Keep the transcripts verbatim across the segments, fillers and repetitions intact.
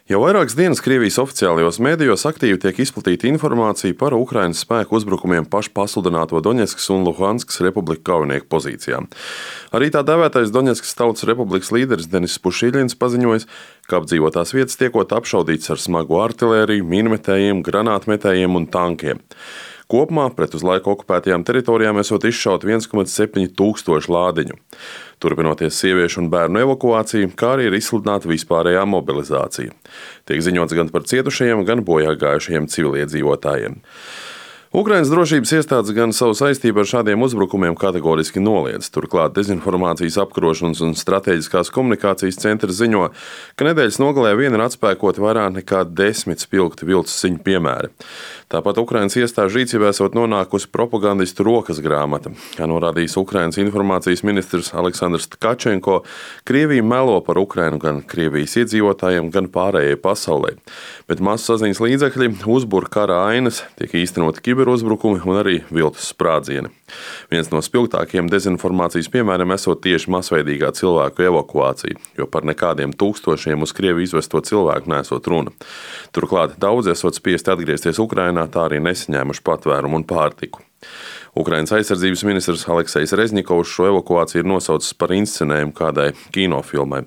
Jau vairākas dienas Krievijas oficiālajos mēdījos aktīvi tiek izplatīta informācija par Ukrainas spēku uzbrukumiem pašpasludināto Doņetskas un Luhanskas republiku kaujinieku pozīcijām. Arī tā dēvētais Doņetskas Tautas Republikas līderis Denis Pušiļins paziņojis, ka apdzīvotās vietas tiekot apšaudītas ar smagu artilēriju, mīnmetējiem, granātmetējiem un tankiem. Kopumā pret uz laiku okupētajām teritorijām esot izšaut viens komats septiņi tūkstoši lādiņu. Turpinoties sieviešu un bērnu evakuāciju, kā arī ir izsludināta vispārējā mobilizācija. Tiek ziņots gan par cietušajiem, gan bojāgājušajiem civiliedzīvotājiem. Ukrainas drošības iestādes gan savu saistību ar šādiem uzbrukumiem kategoriski noliedz. Turklāt dezinformācijas apkarošanas un strateģiskās komunikācijas centrs ziņo, ka nedēļas nogalē vien ir atspēkoti vairāk nekā desmit spilgti viltus ziņu piemēri. Tāpat Ukrainas iestāžu rīcībā esot nonākusi propagandistu rokas grāmata. Kā norādījis Ukrainas informācijas ministrs Aleksandrs Tkačenko, Krievija melo par Ukrainu gan Krievijas iedzīvotājiem, gan pārējai pasaulē. Bet masu saziņas līdzekļi uzbur kara ainas, tiek īstenoti kiberuzbrukumi un arī viltus sprādzieni. Viens no spilgtākajiem dezinformācijas piemēriem esot tieši masveidīgā cilvēku evakuācija, jo par nekādiem tūkstošiem uz Krieviju izvesto cilvēku nesot runa. Turklāt daudzi esot spiesti atgriezties Ukrainā, tā arī nesaņēmuši patvērumu un pārtiku. Ukrainas aizsardzības ministrs Aleksejs Rezņikovs šo evakuāciju ir nosaucis par inscenējumu kādai kinofilmai.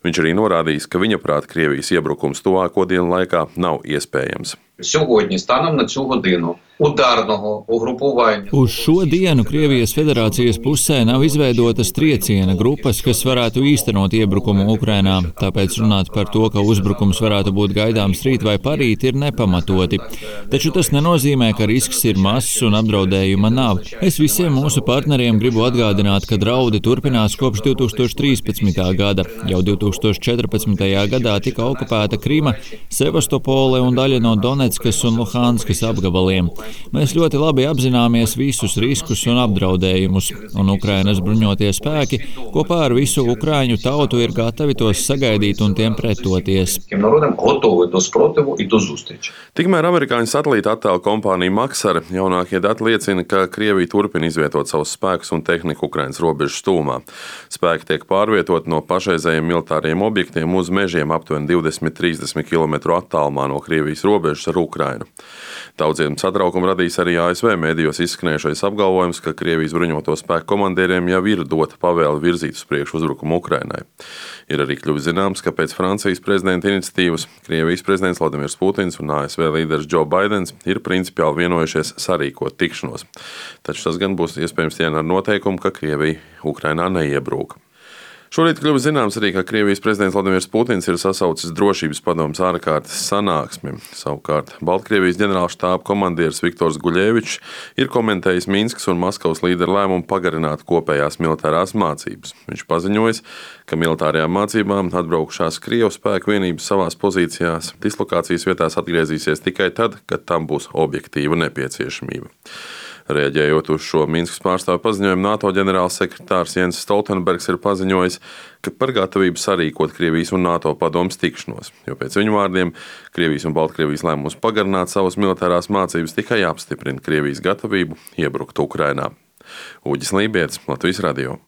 Viņš arī norādījis, ka viņa prāt Krievijas iebrukums tuvāko dienu laikā nav iespējams. Сьогодні, станом на цю годину, ударного угрупування. Uz šo dienu Krievijas federācijas pusē nav izveidotas trieciena grupas, kas varētu īstenot iebrukumu Ukrainā, tāpēc runāt par to, ka uzbrukums varētu būt gaidāms rīt vai parīt, ir nepamatoti. Taču tas nenozīmē, ka risks ir mazs un apdraudējuma nav. Es visiem mūsu partneriem gribu atgādināt, ka draudi turpinās kopš divi tūkstoši trīspadsmitā gada. Jau divi tūkstoši četrpadsmitajā gadā tika okupēta Krima, Sevastopole un daļa no Donetskas un Luhanskas apgabaliem. Mēs ļoti labi apzināmies visus riskus un apdraudējumus, un Ukrainas bruņotie spēki kopā ar visu ukraiņu tautu ir gatavi tos sagaidīt un tiem pretoties. Tikmēr amerikāņu satelīta attēlu kompānija Maxar jaunākie dati liecina, ka Krievija turpina izvietot savus spēkus un tehniku Ukrainas robežas tūmā. Spēki tiek pārvietoti no pašreizējiem militāriem objektiem uz mežiem aptuveni divdesmit līdz trīsdesmit kilometru attālumā no Krievijas robežas ar Ukrainu. Daudziem satraukumu radīs arī A S V mēdījos izskanējušais apgalvojums, ka Krievijas bruņoto spēku komandieriem jau ir dota pavēle virzīt uz priekšu uzbrukumu Ukrainai. Ir arī kļuvis zināms, ka pēc Francijas prezidenta iniciatīvas Krievijas prezidents Vladimirs Putins un A S V līderis Džo Baidens ir principiāli vienojušies sarīkot tikšanos. Taču tas gan būs iespējams tikai ar noteikumu, ka Krievija Ukrainā neiebrūk. Šorīt kļuvis zināms arī, ka Krievijas prezidents Vladimirs Putins ir sasaucis drošības padomes ārkārtas sanāksmi. Savukārt Baltkrievijas ģenerālštāba komandieris Viktors Guļevičs ir komentējis Minskas un Maskavas līderu lēmumu pagarināt kopējās militārās mācības. Viņš paziņojis, ka militārajām mācībām atbraukušās Krievu spēku vienības savās pozīcijās dislokācijas vietās atgriezīsies tikai tad, kad tam būs objektīva nepieciešamība. Reaģējot uz šo Minskas pārstāvju paziņojumu, NATO ģenerālsekretārs Jens Stoltenbergs ir paziņojis, ka par gatavību sarīkot Krievijas un NATO padomes tikšanos, jo pēc viņu vārdiem Krievijas un Baltkrievijas lēmums pagarināt savas militārās mācības tikai apstiprina Krievijas gatavību iebrukt Ukrainā. Uģis Lībietis, Latvijas radio.